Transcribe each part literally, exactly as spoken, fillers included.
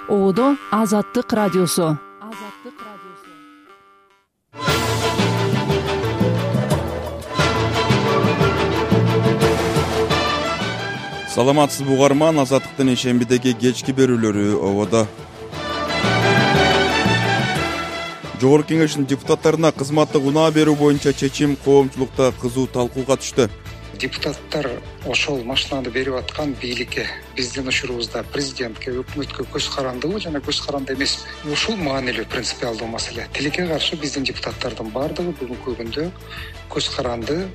Одо Азаттык радиосу. Саламатсызбы угарман, Азаттыктын ишембидеги кечки берүүлөрү ободо. Жогорку Кеңештин депутаттарына кызматтык унаа берүү боюнча чечим коомчулукта кызуу талкууга түштү. Депутаттар ошол машинаны берип аткан бийликке, биздин учурубузда президентке, өкмөткө көз карандыбы жана көз каранды эмеспи? Ушул маанилүү принципиалдуу маселе. Тилекке каршы биздин депутаттардын бардыгы бүгүнкү күндө көз каранды.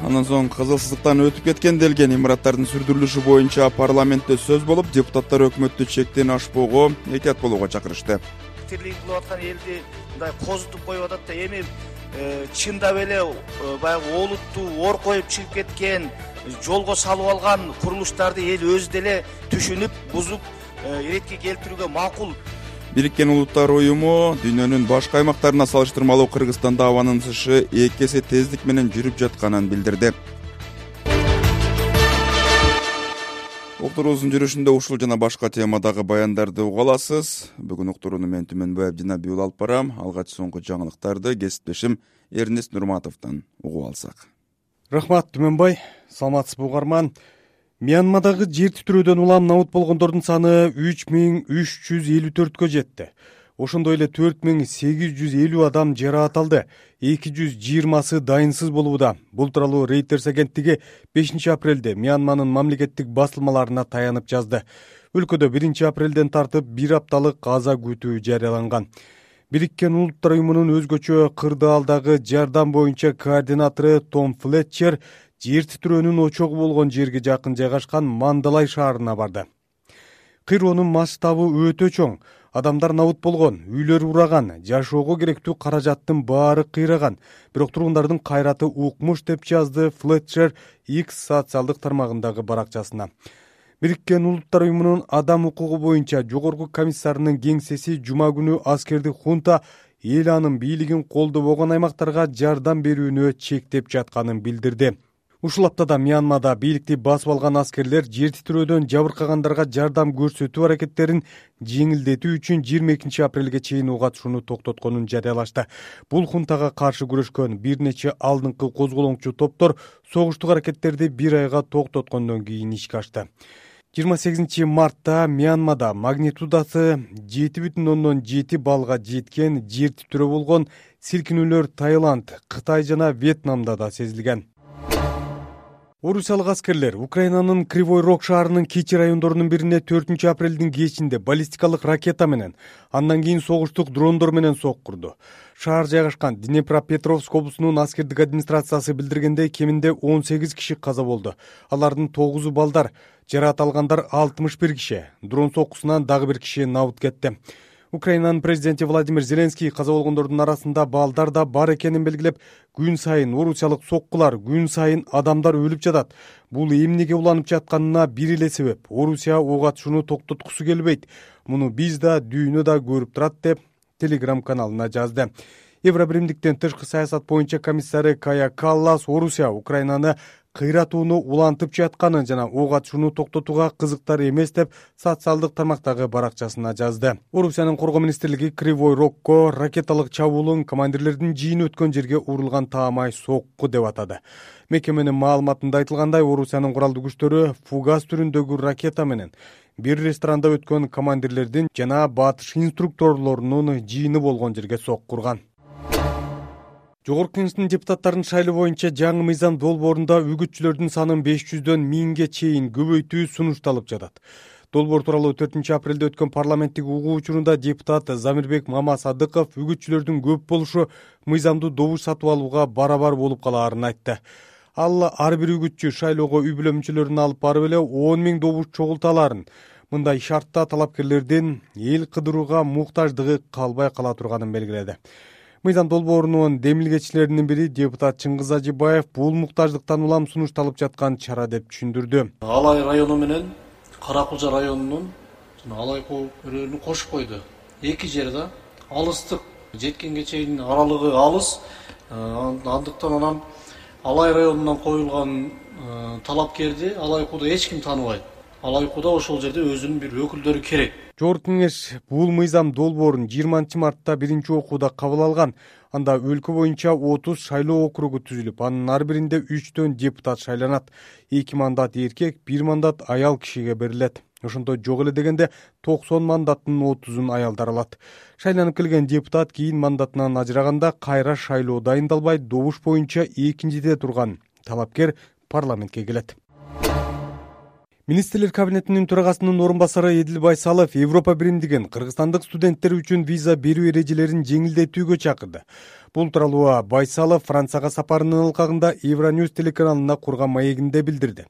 Андан соң кызылсыздыктан өтүп кеткен делген имараттардын сүрдүрүлүшү боюнча парламентте сөз болуп, депутаттар өкмөттү чектен ашпоого, этият болууга чакырышты. Тирлик кылып аткан элди мындай козутуп коюп атат да, эми чындап эле баягы олуттуу ор коюп чыгып кеткен, жолго салып алган курулуштарды эл өзү деле түшүнүп, бузуп, иретке келтирүүгө макул. Бириккен Улуттар уюму дүйнөнүн башка аймактарына салыштырмалуу Кыргызстанда абанын ысышы эки эсе тездик менен жүрүп жатканын билдирди. Уктуруубуздун жүрүшүндө ушул жана башка темадагы баяндарды уга аласыз. Бүгүн уктурууну мен Түмөнбаев Динабиул алып барам. Алгач соңку жаңылыктарды кесиптешим Эрнест Нурматовдон угуп алсак. Рахмат, Түмөнбай. Саламатсызбы угарман. Мьянмадагы жер титирөөдөн улам набут болгондордун саны үч миң үч жүз элүү төрткө жетти. Ошондой эле төрт миң сегиз жүз элүү адам жараат алды. эки жүз жыйырмасы дайынсыз болууда. Бул тууралуу Reuters агенттиги бешинчи апрелде Мьянманын мамлекеттик басылмаларына таянып жазды. Өлкөдө биринчи апрелден тартып бир апталык каза күтүү жарыяланган. Бириккен Улуттар уюмунун өзгөчө кырдаалдагы жардам боюнча координатору Том Флетчер жер титирөөнүн очогу болгон жерге жакын жайгашкан Мандалай шаарына барды. Кыйроонун масштабы өтө чоң. Адамдар набут болгон, үйлөр ураган, жашоого керектүү каражаттын баары кыйраган. Бирок тургундардын кайраты укмуш деп жазды Флетчер X социалдык тармагындагы баракчасына. Бириккен Улуттар уюмунун адам укугу боюнча жогорку комиссарынын кеңсеси жума күнү аскердик хунта эл анын бийлигин колдобогон аймактарга жардам берүүнү чектеп жатканын билдирди. Ушул аптада Мьянмада бийликти басып алган аскерлер жер титирөөдөн жабыркагандарга жардам көрсөтүү аракеттерин жеңилдетүү үчүн жыйырма экинчи апрелге чейин ого катышууну токтотконун жарыялашты. Бул хунтага каршы күрөшкөн бир нече алдыңкы козголоңчу топтор согуштук аракеттерди бир айга токтоткондон кийин ишке ашты. жыйырма сегизинчи мартта Мьянмада магнитудасы жети бүтүн ондон жети баллга жеткен жер титирөө болгон. Силкинүүлөр Таиланд, Кытай жана Вьетнамда да сезилген. Орусиялык аскерлер Украинанын Кривой Рог шаарынын кичи райондорунун бирине төртүнчү апрелдин кечинде баллистикалык ракета менен, андан кийин согуштук дрондор менен сок курду. Шаар жайгашкан Днепропетровск облусунун аскердик администрациясы билдиргендей, кеминде он сегиз киши каза болду. Алардын тогузу балдар, жараат алгандар алтымыш бир киши. Дрон соккусунан дагы бир киши набыт кетти. Украинанын президенти Владимир Зеленский каза болгондордун арасында балдар да бар экенин белгилеп, күн сайын орусиялык соккулар, күн сайын адамдар өлүп жатат. Бул эмнеге уланып жатканына бир эле себеп. Орусия ого атышууну токтоткусу келбейт. Муну биз да, дүйнө да көрүп турат деп Telegram каналына жазды. Евробиримдиктен тышкы саясат боюнча комиссары Кая Каллас Орусия Украинаны кыйратууну улантып жатканын жана ого атышууну токтотууга кызыктар эмес деп социалдык тармактагы баракчасына жазды. Орусиянын коргоо министрлиги Кривой Рогко ракеталык чабуулун командирлердин жыйыны өткөн жерге урулган таамай сокку деп атады. Мекеменин маалыматында айтылгандай, Орусиянын куралдуу күчтөрү фугас түрүндөгү ракета менен бир ресторанда өткөн командирлердин жана батыш инструкторлорунун жыйыны болгон жерге сок курган. Жогорку Кеңештин депутаттарынын шайлоо боюнча жаңы мыйзам долбоорунда үгүтчүлөрдүн санын беш жүздөн миңге чейин көбөйтүү сунушталып жатат. Долбоор тууралуу төртүнчү апрелде өткөн парламенттик угуу учурунда депутат Замирбек Мамасадыков үгүтчүлөрдүн көп болушу мыйзамдуу добуш сатып алууга барабар болуп калаарын айтты. Ал ар бир үгүтчү шайлоого үй бүлө мүчөлөрүн алып барып эле он миң добуш чогулта аларын, мындай шартта талапкерлердин эл кыдырууга муктаждыгы калбай кала турганын белгиледи. Мыйзам долбоорунун демилгечилеринин бири депутат Чыңгыз Ажибаев бул муктаждыктан улам сунушталып жаткан чара деп түшүндүрдү. Алай району менен Кара Кулжа районунун жана Алай көөрүнү кошуп койду. Эки жерде алыстык жеткенге чейин аралыгы алыс. Андыктан анан Алай районунан коюлган талапкерди Алай кууда эч ким тааныбайт. алай куда ошол жерде өзүнүн бир өкүлдөрү керек. Жогорку кеңеш бул мыйзам долбоорун жыйырманчы мартта биринчи окууда кабыл алган. Анда өлкө боюнча отуз шайлоо округу түзүлүп, анын ар биринде үчтөн депутат шайланат. эки мандат эркек, бир мандат аял кишиге берилет. Ошондо жок эле дегенде токсон мандаттын отузун аялдар алат. Шайланып келген депутат кийин мандатынан ажыраганда кайра шайлоо дайындалбай, добуш боюнча экинчиде турган талапкер парламентке келет. Министрлер кабинетинин төрагасынын орун басары Эдил Байсалов Европа биримдигин кыргызстандык студенттер үчүн виза берүү эрежелерин жеңилдетүүгө чакырды. Бул тууралуу Байсалов Францияга сапарынын ылкагында Евроньюз телеканалына курган маегинде билдирди.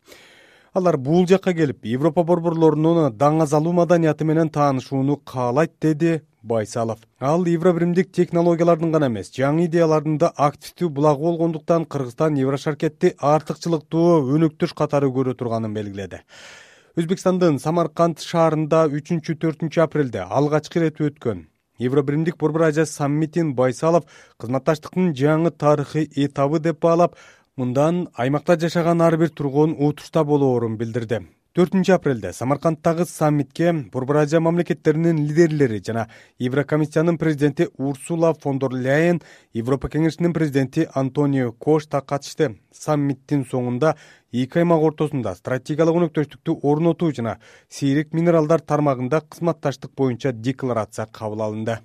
Алар бул жакка келип, Европа борборлорунун даңазалуу маданияты менен таанышууну каалайт, деди Байсалов. Ал евробиримдик технологиялардын гана эмес, жаңы идеялардын да активдүү булагы болгондуктан Кыргызстан Еврошаркетти артыкчылыктуу өнөктөш катары көрө турганын белгиледи. Өзбекстандын Самарканд шаарында үчүнчү төртүнчү апрелде алгачкы ирет өткөн Евробиримдик Борбор Азия саммитин Байсалов кызматташтыктын жаңы тарыхый этабы деп баалап, мындан аймакта жашаган ар бир тургун утушта болоорун билдирди. төртүнчү апрелде Самаркандтагы саммитке Борбор Азия мамлекеттеринин лидерлери жана Еврокомиссиянын президенти Урсула фон дер Ляйен, Европа кеңешинин президенти Антонио Кошта катышты. Саммиттин соңунда эки аймак ортосунда стратегиялык өнөктөштүктү орнотуу жана сейрек минералдар тармагында кызматташтык боюнча декларация кабыл алынды.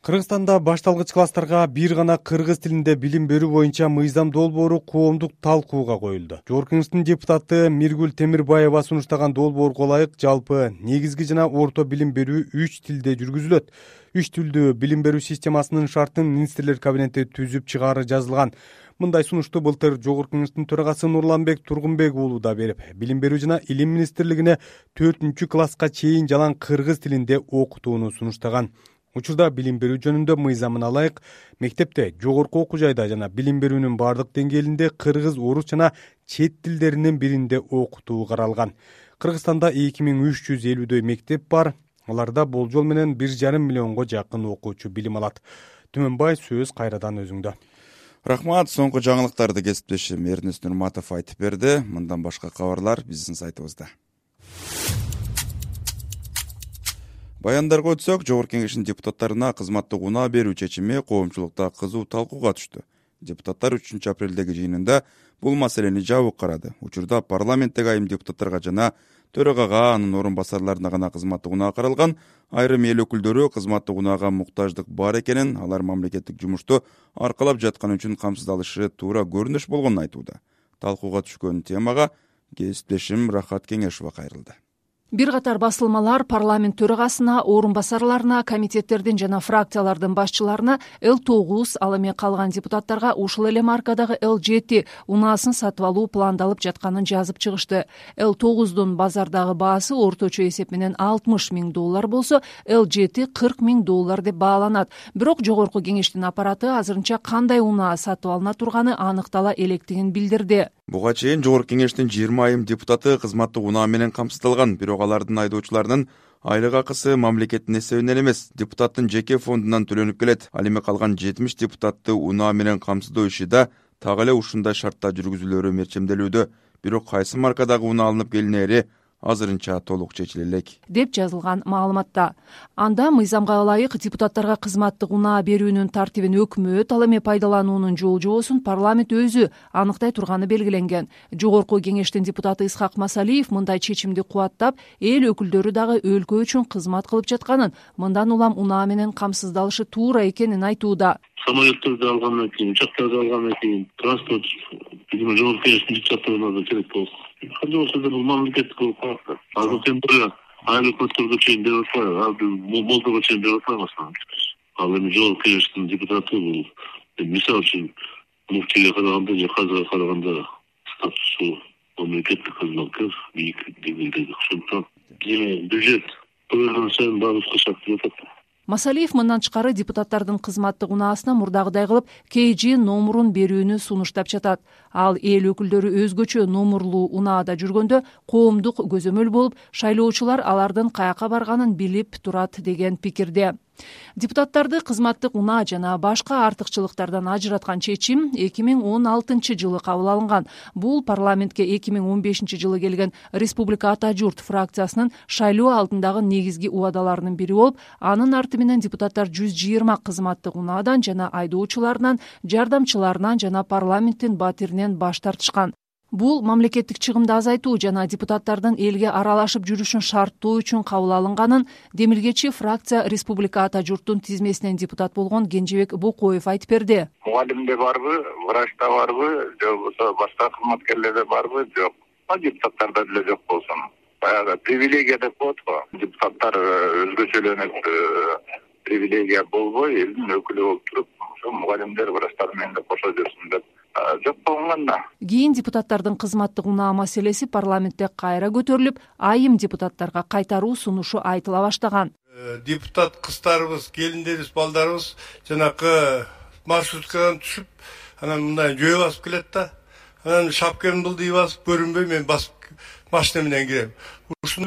Кыргызстанда башталгыч класстарга бир гана кыргыз тилинде билим берүү боюнча мыйзам долбоору коомдук талкууга коюлду. Жогорку кеңештин депутаты Миргүл Темирбаева сунуштаган долбоорго ылайык жалпы негизги жана орто билим берүү үч тилде жүргүзүлөт. Үч тилдүү билим берүү системасынын шартын министрлер кабинети түзүп чыгаары жазылган. Мындай сунушту былтыр Жогорку кеңештин төрагасы Нурланбек Тургунбек уулу да берип, билим берүү жана илим министрлигине төртүнчү класска чейин жалаң кыргыз тилинде окутууну сунуштаган. Учурда билим берүү жөнүндө мыйзамына ылайык мектепте, жогорку окуу жайда жана билим берүүнүн бардык деңгээлинде кыргыз, орус жана чет тилдеринин биринде окутуу каралган. Кыргызстанда эки миң үч жүз элүүдөй мектеп бар. Аларда болжол менен бир жарым миллионго жакын окуучу билим алат. Түмөнбай, сөз кайрадан өзүңдө. Рахмат, соңку жаңылыктарды кесиптешим Эрнест Нурматов айтып берди. Мындан башка кабарлар биздин сайтыбызда. Баяндарга өтсөк, Жогорку кеңештин депутаттарына кызматтык унаа берүү чечими коомчулукта кызуу талкууга түштү. Депутаттар үчүнчү апрелдеги жыйынында бул маселени жабык карады. Учурда парламенттеги айым депутаттарга жана төрагага, анын орун басарларына гана кызматтык унаа каралган. Айрым эл өкүлдөрү кызматтык унаага муктаждык бар экенин, алар мамлекеттик жумушту аркалап жатканы үчүн камсыздалышы туура көрүнүш болгонун айтууда. Талкууга түшкөн темага кесиптешим Рахат Кеңешова кайрылды. Бир катар басылмалар парламент төрагасына, орун басарларына, комитеттердин жана фракциялардын башчыларына Л тогуз, ал эми калган депутаттарга ушул эле маркадагы Л жети унаасын сатып алуу пландалып жатканын жазып чыгышты. Л тогуздун базардагы баасы орточо эсеп менен алтымыш миң доллар болсо, Л жети кырк миң доллар деп бааланат. Бирок Жогорку кеңештин аппараты азырынча кандай унаа сатып алына турганы аныктала электигин билдирди. Буга чейин Жогорку кеңештин жыйырма айым депутаты кызматтык унаа менен камсыздалган, бирок алардын айдоочуларынын айлык акысы мамлекеттин эсебинен эмес, депутаттын жеке фондунан төлөнүп келет. Ал эми калган жетимиш депутатты унаа менен камсыздоо иши да так эле ушундай шартта жүргүзүлөөрү мерчемделүүдө. Бирок кайсы маркадагы унаа алынып келинери азырынча толук чечиле элек, деп жазылган маалыматта. Анда мыйзамга ылайык депутаттарга кызматтык унаа берүүнүн тартибин өкмөт, ал эми пайдалануунун жол жобосун парламент өзү аныктай турганы белгиленген. Жогорку кеңештин депутаты Исхак Масалиев мындай чечимди кубаттап, эл өкүлдөрү дагы өлкө үчүн кызмат кылып жатканын, мындан улам унаа менен камсыздалышы туура экенин айтууда. Самолеттерди алгандан кийин, учактарды алгандан кийин транспорт видимо Жогорку кеңештин депутаттарына да керек болот. Кандай болсо да бул мамлекеттик болуп калат. Азыр тем более айыл өкмөттөргө чейин берип атпайбы, болдого чейин берип атпайбы. Ал эми Жогорку кеңештин депутаты бул мисалы үчүн муфтийге караганда же казыга караганда статусу мамлекеттик кызматкер бийик деңгээлде. Ошондуктан бюджет көбөйгөн сайын баардыгы шарттуу жатат. Масалиев мындан тышкары депутаттардын кызматтык унаасына мурдагыдай кылып кей жи номурун берүүнү сунуштап жатат. Ал эл өкүлдөрү өзгөчө номурлуу унаада жүргөндө коомдук көзөмөл болуп, шайлоочулар алардын каяка барганын билип турат деген пикирде. Депутаттарды кызматтык унаа жана башка артыкчылыктардан ажыраткан чечим эки миң он алтынчы жылы кабыл алынган. Бул парламентке эки миң он бешинчи жылы келген Республика Ата журт фракциясынын шайлоо алдындагы негизги убадаларынын бири болуп, анын арты менен депутаттар жүз жыйырма кызматтык унаадан жана айдоочуларынан, жардамчыларынан жана парламенттин батиринен баш тартышкан. Бул мамлекеттик чыгымды азайтуу жана депутаттардын элге аралашып жүрүшүн шарттоо үчүн кабыл алынганын демилгечи фракция Республика Ата журттун тизмесинен депутат болгон Кенжебек Бокоев айтып берди. Мугалимде барбы, врачта барбы, же болбосо башка кызматкерлерде барбы, жок. Депутаттарда деле жок болсун. Баягы привилегия деп коет го. Депутаттар өзгөчөлөнүп привилегия болбой, элдин өкүлү болуп туруп, ошо мугалимдер, врачтар менен да кошо жүрсүн деп жок болгон да. Кийин депутаттардын кызматтык унаа маселеси парламентте кайра көтөрүлүп, айым депутаттарга кайтаруу сунушу айтыла баштаган. Депутат кыздарыбыз, келиндерибиз, балдарыбыз жанакы маршруткадан түшүп, анан мындай жөө басып келет да. Анан шапкамды былдый басып көрүнбөй мен басып машина менен кирем. Ушуну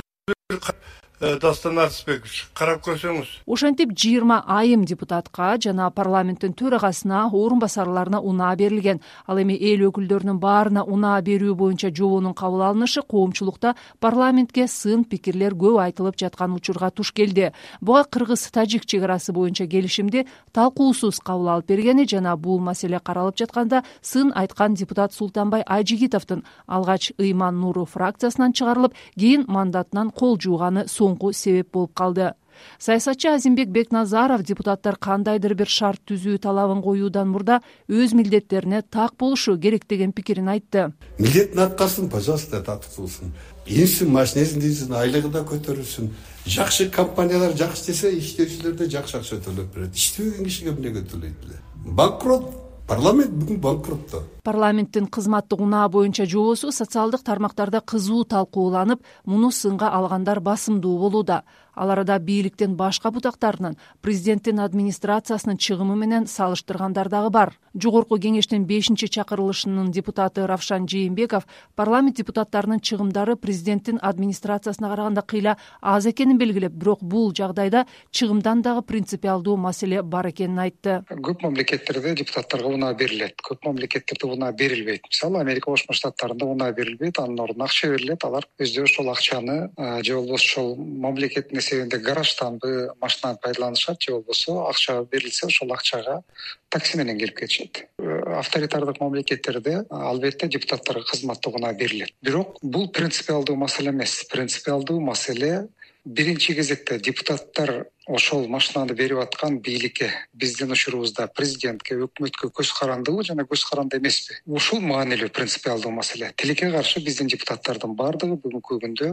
Дастан Артысбекович, карап көрсөңүз. Ошентип жыйырма айым депутатка жана парламенттин төрагасына, орун басарларына унаа берилген. Ал эми эл өкүлдөрүнүн баарына унаа берүү боюнча жобонун кабыл алынышы коомчулукта парламентке сын пикирлер көп айтылып жаткан учурга туш келди. Буга кыргыз-тажик чек арасы боюнча келишимди талкуусуз кабыл алып бергени жана бул маселе каралып жатканда сын айткан депутат Султанбай Айжигитовдун алгач Ыйман Нуру фракциясынан чыгарылып, кийин мандатынан кол жууганы соңку себеп болуп калды. Саясатчы Азимбек Бекназаров депутаттар кандайдыр бир шарт түзүү талабын коюудан мурда өз милдеттерине так болушу керек деген пикирин айтты. Милдеттин аткарсын, пожалуйста, тартылсын. Инсин, машинесин дийсин, айлыгы да көтөрүлсүн. Жакшы компаниялар жакшы десе, иштөөчүлөрдө жакшы акча төлөп берет. Иштебеген кишиге эмне төлөйт эле? Банкрот. Парламент бүгүн банкротто. Парламенттин кызматтык унаа боюнча жобосу социалдык тармактарда кызуу талкууланып, муну сынга алгандар басымдуу болууда. Ал арада бийликтин башка бутактарынын президенттин администрациясынын чыгымы менен салыштыргандар дагы бар. Жогорку кеңештин бешинчи чакырылышынын депутаты Равшан Жээнбеков парламент депутаттарынын чыгымдары президенттин администрациясына караганда кыйла аз экенин белгилеп, бирок бул жагдайда чыгымдан дагы принципиалдуу маселе бар экенин айтты. Көп мамлекеттерде депутаттарга унаа берилет, көп мамлекеттерде унаа берилбейт. Мисалы, Америка Кошмо Штаттарында унаа берилбейт, анын ордуна акча берилет. Алар өздөрү ошол акчаны же болбосо ошол мамлекеттин эсебинде гаражданбы, машинаны пайдаланышат, же болбосо акча берилсе ошол акчага такси менен келип кетишет. Авторитардык мамлекеттерде албетте депутаттарга кызматтык унаа берилет. Бирок бул принципиалдуу маселе эмес. Принципиалдуу маселе биринчи кезекте депутаттар ошол машинаны берип аткан бийликке, биздин учурубузда президентке, өкмөткө көз карандыбы жана көз каранды эмеспи? Ушул маанилүү принципиалдуу маселе. Тилекке каршы биздин депутаттардын баардыгы бүгүнкү күндө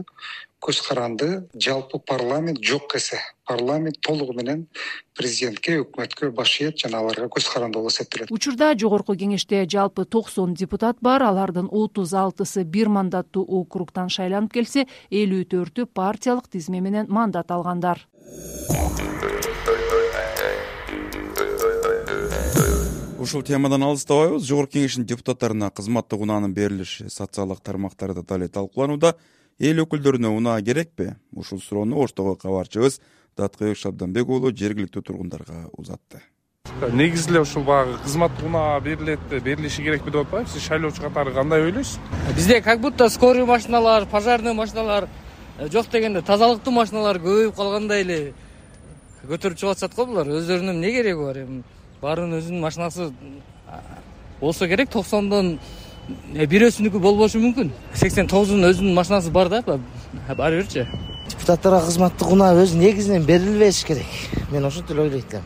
көз каранды, жалпы парламент жок эсе. Парламент толугу менен президентке, өкмөткө баш ийет жана аларга көз каранды болуп эсептелет. Учурда жогорку кеңеште жалпы токсон депутат бар, алардын отуз алтысы бир мандаттуу округтан шайланып келсе, элүү төртү партиялык тизме менен мандат алгандар. Ушул темадан алыстабайбыз. Жогорку кеңештин депутаттарына кызматтык унаанын берилиши социалдык тармактарда дале талкууланууда. Эл өкүлдөрүнө унаа керекпи? Ушул суроону Оштогу кабарчыбыз Даткыбек Шабданбек уулу жергиликтүү тургундарга узатты. Негизи эле ушул баягы кызматтык унаа берилет, берилиши керекпи деп атпайбы? Сиз шайлоочу катары кандай ойлойсуз? Бизде как будто скорый машиналар, пожарный машиналар жок дегенде тазалыктуу машиналар көбөйүп калгандай эле көтөрүп чыгып атышат го булар. Өздөрүнүн эмне кереги бар? Эми баарынын өзүнүн машинасы болсо керек. токсондон бирөөсүнүкү болбошу мүмкүн. сексен тогузунун өзүнүн машинасы бар да, баары бирчи. Депутаттарга кызматтык унаа өзү негизинен берилбеш керек. Мен ошентип эле ойлойт элем.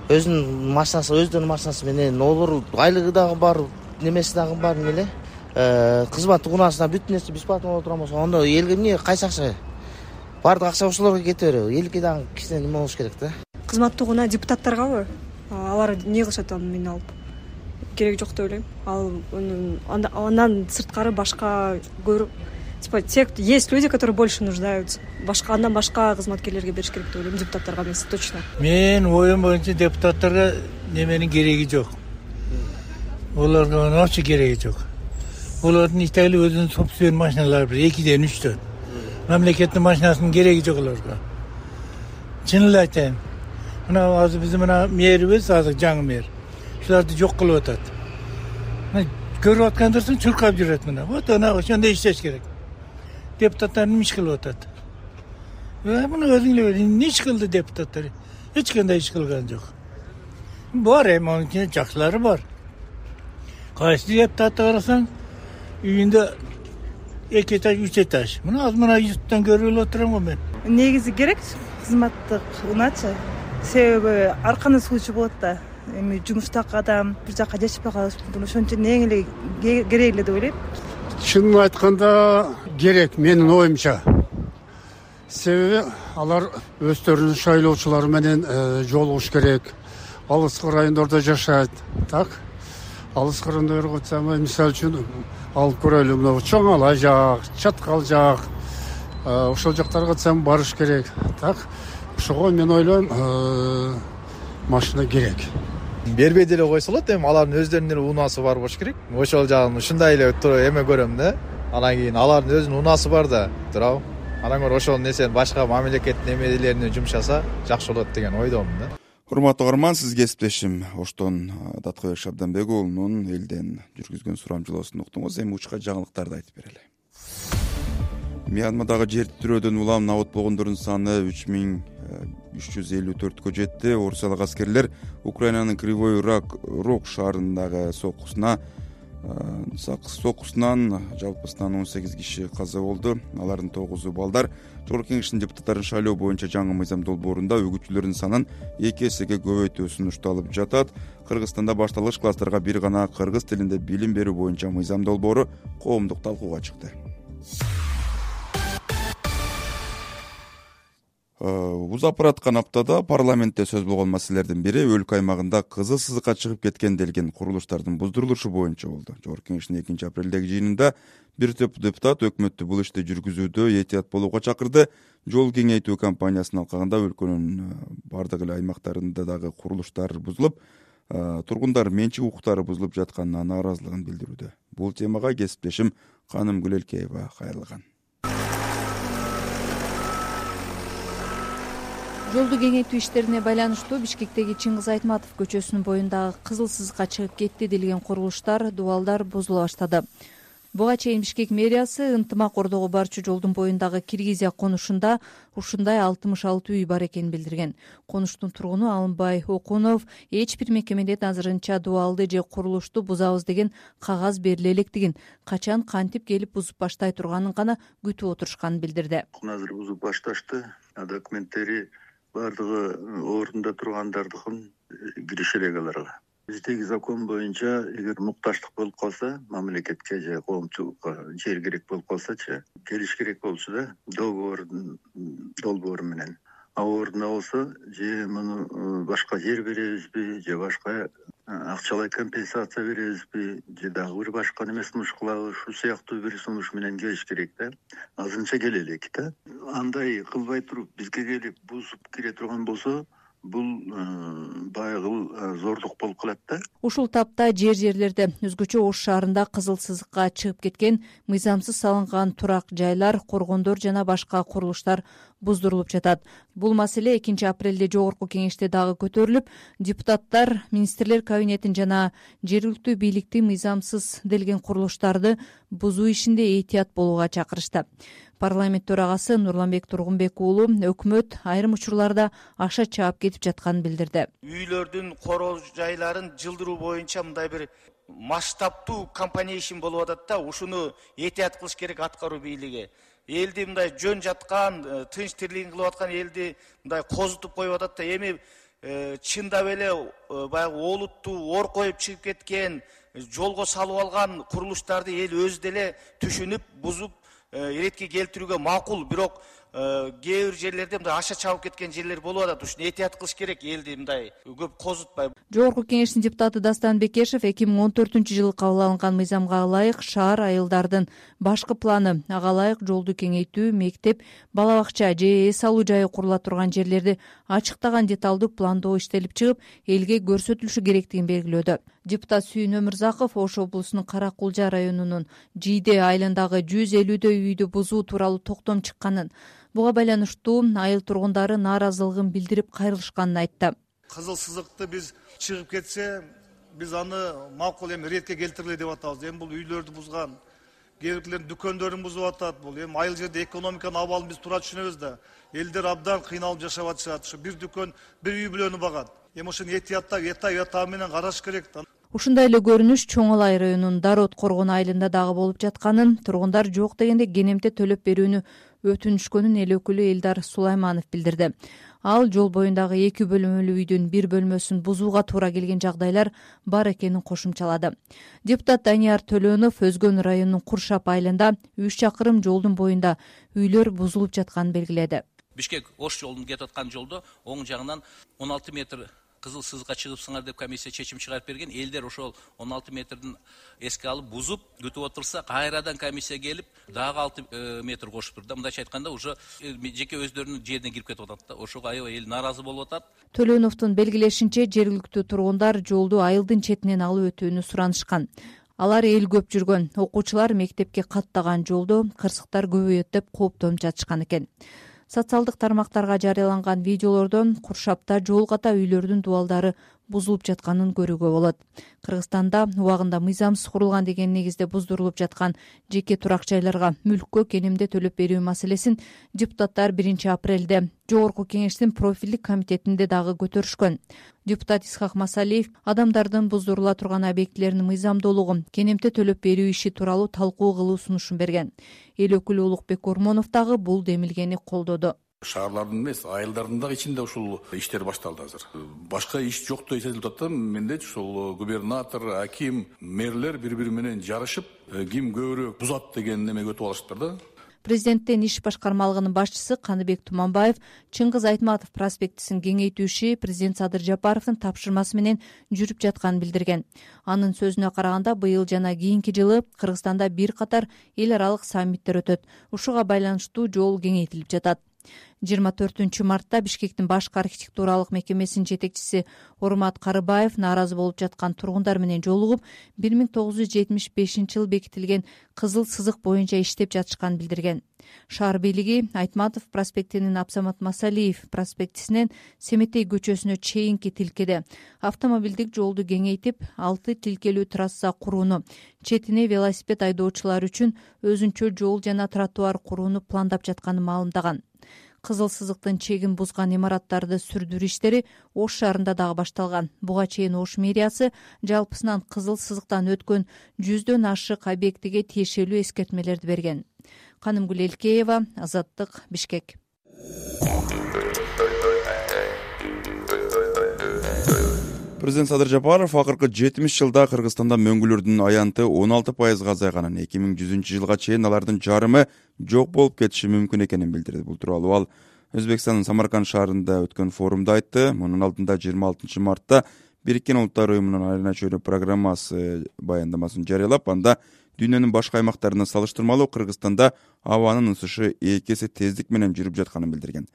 Өзүнүн машинасы, өздөрүнүн машинасы менен олор айлыгы дагы бар, немеси дагы бар эле. Кызматтык унаасына бүт нерсе бесплатно боло турган болсо, анда элге эмне кайсы акча? Бардык акча ошолорго кете береби? Элге дагы кичине неме болуш керек да. Кызматтык унаа депутаттаргабы? Алар эмне кылышат аны мен алып? Кереги жок деп ойлойм. Ал андан сырткары башка көрүп, типа те, есть люди, которые больше нуждаются. Башка андан башка кызматкерлерге бериш керек деп ойлойм, депутаттарга эмес, точно. Мен оюм боюнча депутаттарга неменин кереги жок. Оларга вообще кереги жок. Олардын итали өзүнүн собственный машиналары бар, экиден үчтөн. Мамлекеттин машинасынын кереги жок оларга. Чын эле айтайын. мына азыр биздин мына мэрибиз азыр жаңы мэр ушуларды жок кылып атат. Көрүп аткандарсың чуркап жүрөт мына. Вот ана ошондой иштеш керек. Депутаттар эмне иш кылып атат? Муну өзүңөр эмне иш кылды депутаттар? Эч кандай иш кылган жок. Бар эми анын ичинде жакшылары бар. Кайсы депутатты карасаң, үйүндө эки этаж, үч этаж. Мына азыр мына ютубтан көрүп отурам го мен. Негизи керек кызматтык унаачы. Себеби арканы сууучу болот да. Эми жумуштагы адам бир жака жашпай калышы мүмкүн. Ошон үчүн эң эле керек эле деп ойлойм. Чынын айтканда керек менин оюмча. Себеби алар өздөрүнүн шайлоочулары менен жолугуш керек. Алыскы райондордо жашайт. Так? Алыскы райондорго айтсам, мисалы үчүн алып көрөлү, мына чоң ала жак, чаткал жак. Ошол жактарга айтсам барыш керек. Так? Ошого мен ойлойм, машина керек. Бербей деле койсо болот, эми алардын өздөрүнүн эле унаасы бар болуш керек. Ошол жагын ушундай эле эме көрөм да. Анан кийин алардын өзүнүн унаасы бар да, туурабы? Анан көрө ошол нерсени башка мамлекеттин эмелерине жумшаса жакшы болот деген ойдомун да. Урматтуу угарман, сиз кесиптешим Оштон Даткыбек Шабданбек уулунун элден жүргүзгөн сурамжылоосун уктуңуз. Эми учка жаңылыктарды айтып берели. Мьянмадагы жер титирөөдөн улам набыт болгондордун саны үч миң үч жүз элүү төрткө жетти. Орусиялык аскерлер Украинанын Кривой Рог шаарындагы соккусуна соккусунан жалпысынан он сегиз киши каза болду. Алардын тогузу балдар. Жогорку Кеңештин депутаттарын шайлоо боюнча жаңы мыйзам долбоорунда үгүтчүлөрдүн санын эки эсеге көбөйтүү сунушталып жатат. Кыргызстанда башталгыч класстарга бир гана кыргыз тилинде билим берүү боюнча мыйзам долбоору коомдук талкууга чыкты. Узап бараткан аптада парламентте сөз болгон маселелердин бири өлкө аймагында кызыл сызыкка чыгып кеткен делген курулуштардын буздурулушу боюнча болду. Жогорку Кеңештин экинчи апрелдеги жыйынында бир топ депутат өкмөттү бул ишти жүргүзүүдө этият болууга чакырды. Жол кеңейтүү кампаниясынын алкагында өлкөнүн бардык эле аймактарында дагы курулуштар бузулуп, тургундар менчик укуктары бузулуп жатканына нааразылыгын билдирүүдө. Бул темага кесиптешим Каным Гүлелкеева кайрылган. Жолду кеңейтүү иштерине байланыштуу Бишкектеги Чыңгыз Айтматов көчөсүнүн боюндагы кызыл сызыкка чыгып кетти делген курулуштар, дубалдар бузула баштады. Буга чейин Бишкек мэриясы ынтымак ордого барчу жолдун боюндагы Киргизия конушунда ушундай алтымыш алты үй бар экенин билдирген. Конуштун тургуну Алымбай Окунов эч бир мекемеден азырынча дубалды же курулушту бузабыз деген кагаз бериле электигин, качан кантип келип бузуп баштай турганын гана күтүп отурушканын билдирди. Азыр бузуп башташты, документтери бардыгы ордунда тургандардыкын кириши элек аларга. Биздеги закон боюнча эгер мукташтык болуп калса, мамлекетке же коомчулукка жер керек болуп калсачы, келиш керек болчу да, договордун долбоору менен. А ордуна болсо, же муну башка жер беребизби, же башка акчалай компенсация беребизби, же дагы бир башка неме сунуш кылабы, ушул сыяктуу бир сунуш менен келиш керек да. Азырынча келе элек да. Андай кылбай туруп бизге келип бузуп кире турган болсо, бул баягы зордук болуп калат да. Ушул тапта жер жерлерде өзгөчө Ош шаарында кызыл сызыкка чыгып кеткен мыйзамсыз салынган турак жайлар, коргондор жана башка курулуштар буздурулуп жатат. Бул маселе экинчи апрелде Жогорку Кеңеште дагы көтөрүлүп, депутаттар министрлер кабинетин жана жергиликтүү бийликти мыйзамсыз делген курулуштарды бузуу ишинде этият болууга чакырышты. Парламент төрагасы Нурланбек Тургунбек уулу өкмөт айрым учурларда акча чаап кетип жатканын билдирди. Үйлөрдүн короо жайларын жылдыруу боюнча мындай бир масштабтуу компания ишин болуп атат да, ушуну этият кылыш керек аткаруу бийлиги. Элди мындай жөн жаткан, тынч тирлигин кылып аткан элди мындай козутуп коюп атат да, эми чындап эле баягы олуттуу ор коюп чыгып кеткен, жолго салып алган курулуштарды эл өзү деле түшүнүп, бузуп иретке келтирүүгө макул, бирок кээ бир жерлерде мындай аша чабып кеткен жерлер болуп атат. Ушуну этият кылыш керек, элди мындай көп козутпай. Жогорку Кеңештин депутаты Дастан Бекешев эки миң он төртүнчү жылы кабыл алынган мыйзамга ылайык шаар айылдардын башкы планы, ага ылайык жолду кеңейтүү, мектеп, бала бакча же эс алуу жайы курула турган жерлерди ачыктаган деталдуу пландоо иштелип чыгып, элге көрсөтүлүшү керектигин белгилөөдө. Депутат Сүйүн Өмүрзаков Ош облусунун Кара Кулжа районунун Жийде айылындагы жүз элүүдөй үйдү бузуу тууралуу токтом чыкканын, буга байланыштуу айыл тургундары нааразылыгын билдирип кайрылышканын айтты. Кызыл сызыкты биз чыгып кетсе, биз аны макул эми ретке келтирели деп атабыз. Эми бул үйлөрдү бузган, кээ биркилердин дүкөндөрүн бузуп атат. Бул эми айыл жерде экономиканын абалын биз туура түшүнөбүз да. Элдер абдан кыйналып жашап атышат. Ушу бир дүкөн, бир үй бүлөнү багат. Эми ошону этияттап, этай ята менен караш керек да. Ушундай эле көрүнүш Чоң Алай районунун Дарот Коргон айылында дагы болуп жатканын, тургундар жок дегенде кенемте төлөп берүүнү өтүнүшкөнүн эл өкүлү Элдар Сулайманов билдирди. Ал жол боюндагы эки бөлмөлүү үйдүн бир бөлмөсүн бузууга туура келген жагдайлар бар экенин кошумчалады. Депутат Данияр Төлөнов Өзгөн районунун Куршап айылында үч чакырым жолдун боюнда үйлөр бузулуп жатканын белгиледи. Бишкек Ош жолунун кетип аткан жолдо оң жагынан он алты метр кызыл сызыкка чыгыпсыңар деп комиссия чечим чыгарып берген. Элдер ошол он алты метрдин эске алып бузуп күтүп отурса, кайрадан комиссия келип дагы алты метр кошуп турду. Мындайча айтканда уже жеке өздөрүнүн жерине кирип кетип атат да. Ошого аябай эл нааразы болуп атат. Төлөновдун белгилешинче, жергиликтүү тургундар жолду айылдын четинен алып өтүүнү суранышкан. Алар эл көп жүргөн, окуучулар мектепке каттаган жолдо кырсыктар көбөйөт деп кооптонуп жатышкан экен. Социалдык тармактарга жарыяланган видеолордон Куршапта жол ката үйлөрдүн дубалдары бузулуп жатканын көрүүгө болот. Кыргызстанда убагында мыйзамсыз курулган деген негизде буздурулуп жаткан жеке турак жайларга мүлккө кенемде төлөп берүү маселесин депутаттар биринчи апрелде Жогорку Кеңештин профилдик комитетинде дагы көтөрүшкөн. Депутат Исхак Масалиев адамдардын буздурула турган объектилеринин мыйзамдуулугун, кенемте төлөп берүү иши тууралуу талкуу кылуу сунушун берген. Эл өкүлү Улукбек Ормонов дагы бул демилгени колдоду. Шаарлардын эмес, айылдардын дагы ичинде ушул иштер башталды азыр. Башка иш жоктой сезилип атат да. Менде ушул губернатор, аким, мэрлер бири-бири менен жарышып, ким көбүрөөк бузат деген неме өтүп алышыптыр да. Президенттин иш башкармалыгынын башчысы Каныбек Туманбаев Чыңгыз Айтматов проспектисин кеңейтүү иши президент Садыр Жапаровдун тапшырмасы менен жүрүп жатканын билдирген. Анын сөзүнө караганда, быйыл жана кийинки жылы Кыргызстанда бир катар эл аралык саммиттер өтөт. Ушуга байланыштуу жол кеңейтилип жатат. жыйырма төртүнчү мартта Бишкектин башкы архитектуралык мекемесинин жетекчиси Урмат Карыбаев нааразы болуп жаткан тургундар менен жолугуп, бир миң тогуз жүз жетимиш бешинчи жылы бекитилген кызыл сызык боюнча иштеп жатышканын билдирген. Шаар бийлиги Айтматов проспектинин Абсамат Масалиев проспектисинен Семетей көчөсүнө чейинки тилкеде автомобилдик жолду кеңейтип, алты тилкелүү трасса курууну, четине велосипед айдоочулар үчүн өзүнчө жол жана тротуар курууну пландап жатканын маалымдаган. Кызыл сызыктын чегин бузган имараттарды сүрдүрүү иштери Ош шаарында дагы башталган. Буга чейин Ош мэриясы жалпысынан кызыл сызыктан өткөн жүздөн ашык объектиге тиешелүү эскертмелерди берген. Канымгүл Элкеева, Азаттык, Бишкек. Президент Садыр Жапаров акыркы жетимиш жылда Кыргызстанда мөңгүлөрдүн аянты он алты пайызга азайганын, эки миң жүзүнчү жылга чейин алардын жарымы жок болуп кетиши мүмкүн экенин билдирди. Бул тууралуу ал Өзбекстандын Самарканд шаарында өткөн форумда айтты. Мунун алдында жыйырма алтынчы мартта Бириккен Улуттар уюмунун айрына чөйрө программасы баяндамасын жарыялап, анда дүйнөнүн башка аймактарына салыштырмалуу Кыргызстанда абанын ысышы эки эсе тездик менен жүрүп жатканын билдирген.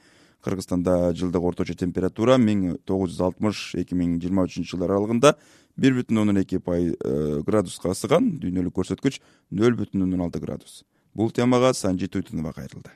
Кыргызстанда жылдык орточо температура миң тогуз жүз алтымыш эки миң жыйырма үчүнчү жылдар аралыгында бир бүтүн ондон эки градуска ысыган, дүйнөлүк көрсөткүч нөл бүтүн ондон алты градус. Бул темага Санжи Туйтунова кайрылды.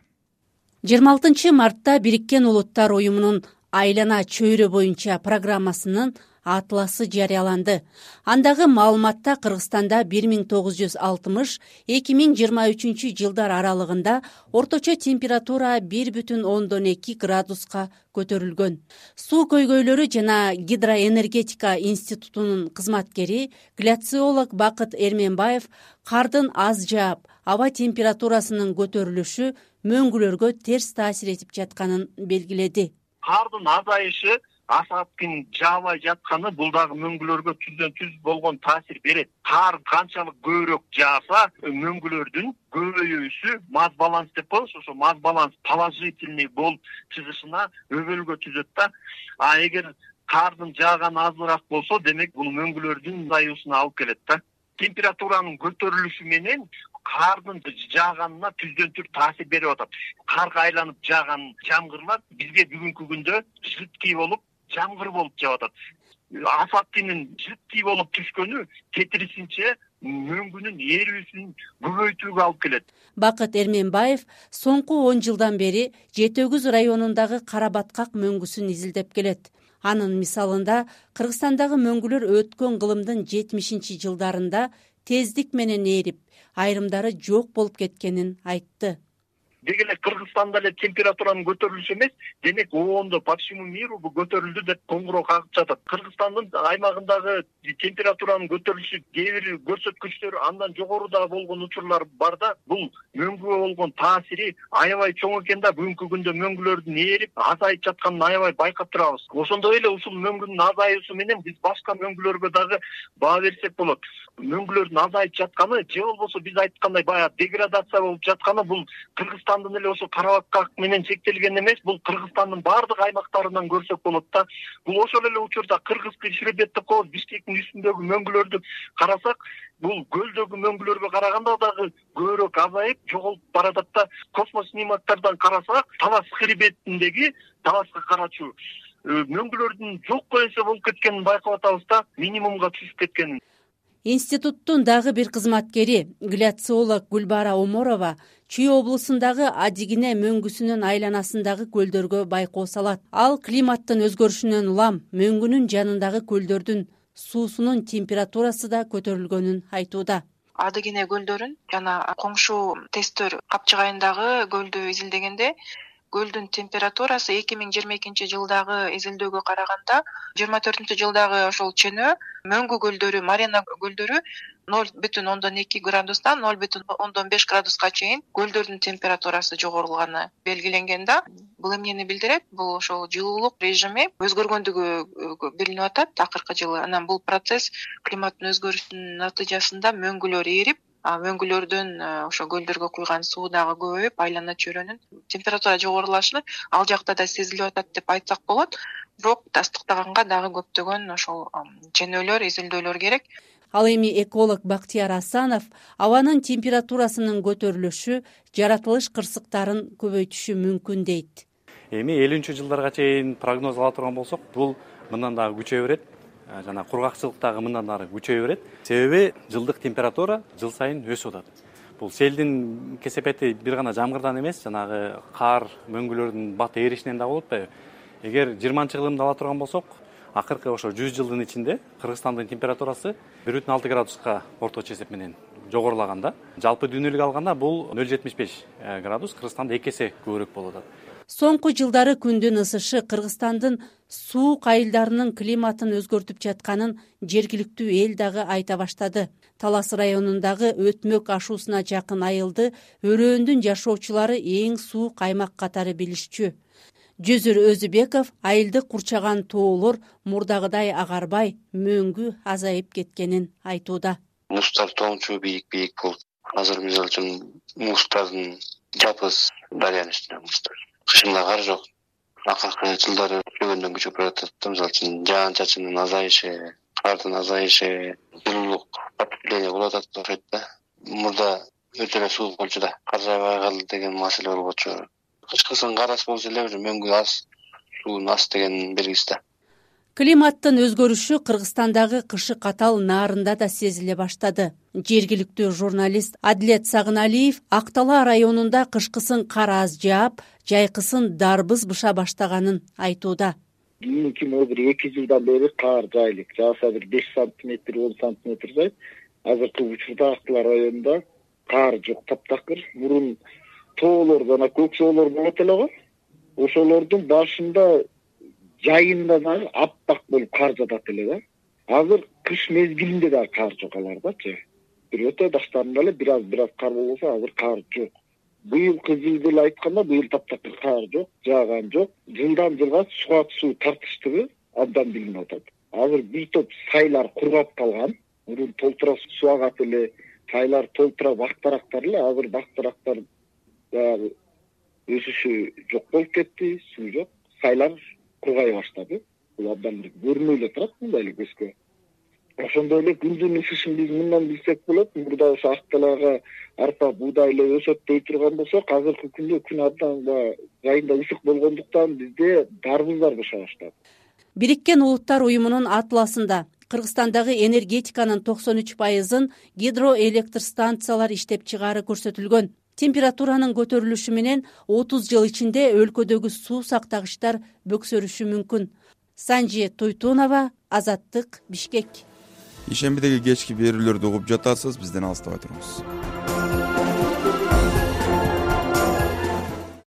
жыйырма алтынчы мартта Бириккен Улуттар уюмунун айлана чөйрө боюнча программасынын атласы жарыяланды. Андагы маалыматта Кыргызстанда бир миң тогуз жүз алтымыш эки миң жыйырма үчүнчү жылдар аралыгында орточо температура бир бүтүн ондон эки градуска көтөрүлгөн. Суу көйгөйлөрү жана гидроэнергетика институтунун кызматкери гляциолог Бакыт Эрменбаев кардын аз жаап, аба температурасынын көтөрүлүшү мөңгүлөргө терс таасир этип жатканын белгиледи. Кардын азайышы асаптын жаабай жатканы бул дагы мөңгүлөргө түздөн түз болгон таасир берет. Кар канчалык көбүрөөк жааса, мөңгүлөрдүн көбөйүүсү маз баланс деп коебуз, ошо маз баланс положительный болуп чыгышына өбөлгө түзөт да. А эгер кардын жааганы азыраак болсо, демек бул мөңгүлөрдүн азаюусуна алып келет да. Температуранын көтөрүлүшү менен кардын жааганына түздөн түз таасир берип атат. Карга айланып жааган жамгырлар бизге бүгүнкү күндө жыткый болуп, жамгыр болуп жаап атат. Асфальттын жыткый болуп түшкөнү кетирисинче мөңгүнүн эрүүсүн көбөйтүүгө алып келет. Бакыт Эрменбаев соңку он жылдан бери Жети Өгүз районундагы кара баткак мөңгүсүн изилдеп келет. Анын мисалында Кыргызстандагы мөңгүлөр өткөн кылымдын жетимишинчи жылдарында тездик менен ээрип, айрымдары жок болуп кеткенин айтты. Деги эле Кыргызстанда эле температуранын көтөрүлүшү эмес, демек оондо по всему миру бу көтөрүлдү деп коңгуроо кагып жатат. Кыргызстандын аймагындагы температуранын көтөрүлүшү кээ бир көрсөткүчтөр андан жогоруда болгон учурлар бар да, бул мөңгүгө болгон таасири аябай чоң экен да, бүгүнкү күндө мөңгүлөрдүн ээрип, азайып жатканын аябай байкап турабыз. Ошондой эле ушул мөңгүнүн азаюусу менен биз башка мөңгүлөргө дагы баа берсек болот. Мөңгүлөрдүн азайып жатканы же болбосо биз айткандай баягы деградация болуп жатканы бул Кыргызстан эле ошо Карабакка менен чектелген эмес, бул Кыргызстандын баардык аймактарынан көрсөк болот да. Бул ошол эле учурда Кыргызский хребет деп коебуз, Бишкектин үстүндөгү мөңгүлөрдү карасак, бул көлдөгү мөңгүлөргө караганда дагы көбүрөөк азайып, жоголуп баратат да. Космос снимоктардан карасак, Талас хребетиндеги Таласка карачу мөңгүлөрдүн жокко эсе болуп кеткенин байкап атабыз да, минимумга түшүп кеткенин. Институттун дагы бир кызматкери, гляциолог Гүлбара Оморова Чүй облусундагы Адигине мөңгүсүнүн айланасындагы көлдөргө байкоо салат. Ал климаттын өзгөрүшүнөн улам мөңгүнүн жанындагы көлдөрдүн суусунун температурасы да көтөрүлгөнүн айтууда. Адигине көлдөрүн жана коңшу Тестөр капчыгайындагы көлдү изилдегенде көлдүн температурасы эки миң жыйырма экинчи жылдагы изилдөөгө караганда жыйырма төртүнчү жылдагы ошол чөнөө мөңгү көлдөрү, Марена көлдөрү ноль бүтүн ондон эки градустан ноль бүтүн ондон беш градуска чейин көлдөрдүн температурасы жогорулганы белгиленген да. Бул эмнени билдирет? Бул ошол жылуулук режими өзгөргөндүгү билинип атат акыркы жылы. Анан бул процесс климаттын өзгөрүшүнүн натыйжасында мөңгүлөр ээрип, мөңгүлөрдөн ошо көлдөргө куйган суу дагы көбөйүп, айлана чөйрөнүн температура жогорулашы ал жакта да сезилип атат деп айтсак болот. Бирок тастыктаганга дагы көптөгөн ошол ченөөлөр, изилдөөлөр керек. Ал эми эколог Бактияр Асанов абанын температурасынын көтөрүлүшү жаратылыш кырсыктарын көбөйтүшү мүмкүн дейт. Эми элүүнчү жылдарга чейин прогноз ала турган болсок, бул мындан дагы күчөйө берет. Жана кургакчылык дагы мындан дагы күчөйө берет. Себеби жылдык температура жыл сайын өсүп атат. Бул селдин кесепети бир гана жамгырдан эмес, жанагы кар, мөңгүлөрдүн бат ээришинен да болуп атпайбы? Эгер жыйырманчы кылымды ала турган болсок, акыркы ошо жүз жылдын ичинде Кыргызстандын температурасы бир бүтүн алты градуска орточо эсеп менен жогорулаган да. Жалпы дүйнөлүк алганда бул ноль бүтүн жетимиш беш градус, Кыргызстанда эки эсе көбүрөөк болуп атат. Соңку жылдары күндүн ысышы Кыргызстандын суук айылдарынын климатын өзгөртүп жатканын жергиликтүү эл дагы айта баштады. Талас районундагы Өтмөк ашуусуна жакын айылды өрөөндүн жашоочулары эң суук аймак катары билишчү. Жөзүр Өзүбеков айылды курчаган тоолор мурдагыдай агарбай, мөңгү азайып кеткенин айтууда. Мустар тоңчу бийик-бийик болуп, азыр мисалы үчүн мустардын жапыз дарыянын үстүнө мустар. Кышында кар жок. Акыркы жылдары күчөгөндөн күчөп баратат. Мисалы үчүн жаан-чачындын азайышы, кардын азайышы, жылуулук потепление болуп атат окшойт да. Мурда өтө эле суук болчу да, кар жаабай калды деген маселе болчу. Кышкысын кар аз болсо эле уже мөңгү аз, суун аз деген белгиси да. Климаттын өзгөрүшү Кыргызстандагы кышы катал наарында да сезиле баштады. Жергиликтүү журналист Адилет Сагыналиев Актала районунда кышкысын кар аз жаап, жайкысын дарбыз быша баштаганын айтууда. Кийинки бир эки жылдан бери кар жайлык, жааса бир беш сантиметр, он сантиметр жайып, азыркы учурда Актала районунда кар жок, таптакыр. Мурун тоолор жана көк соолор болот эле го. Ошолордун башында жайында дагы аппак болуп кар жатат эле да. Азыр кыш мезгилинде дагы кар жок алардачы. Бир өтө баштарында эле бир аз бир аз кар болсо, азыр кар жок. Быйылкы жылды эле айтканда, быйыл таптакыр кар жок, жааган жок. Жылдан жылга суак суу тартыштыгы абдан билинип атат. Азыр бир топ сайлар кургап калган. Мурун толтура суу агат эле, сайлар толтура бактарактар эле, азыр бактарактар баягы өсүшү жок болуп кетти, суу жок. Сайлар кургай баштады. Бул абдан бир көрүнүп эле турат мындай эле көзгө. Ошондой эле күндүн ысышын биз мындан билсек болот. Мурда ошо Акталага арпа, буудай эле өсөт дей турган болсок, азыркы күндө күн абдан жайында ысык болгондуктан бизде дарбыздар быша баштады. Бириккен Улуттар уюмунун атласында Кыргызстандагы энергетиканын токсон үч пайызын гидроэлектр станциялар иштеп чыгаары көрсөтүлгөн. Температуранын көтөрүлүшү менен отуз жыл ичинде өлкөдөгү суу сактагычтар бөксөрүшү мүмкүн. Санжи Туйтунова, Азаттык, Бишкек. Ишембидеги кечки берүүлөрдү угуп жатасыз, бизден алыстабай туруңуз.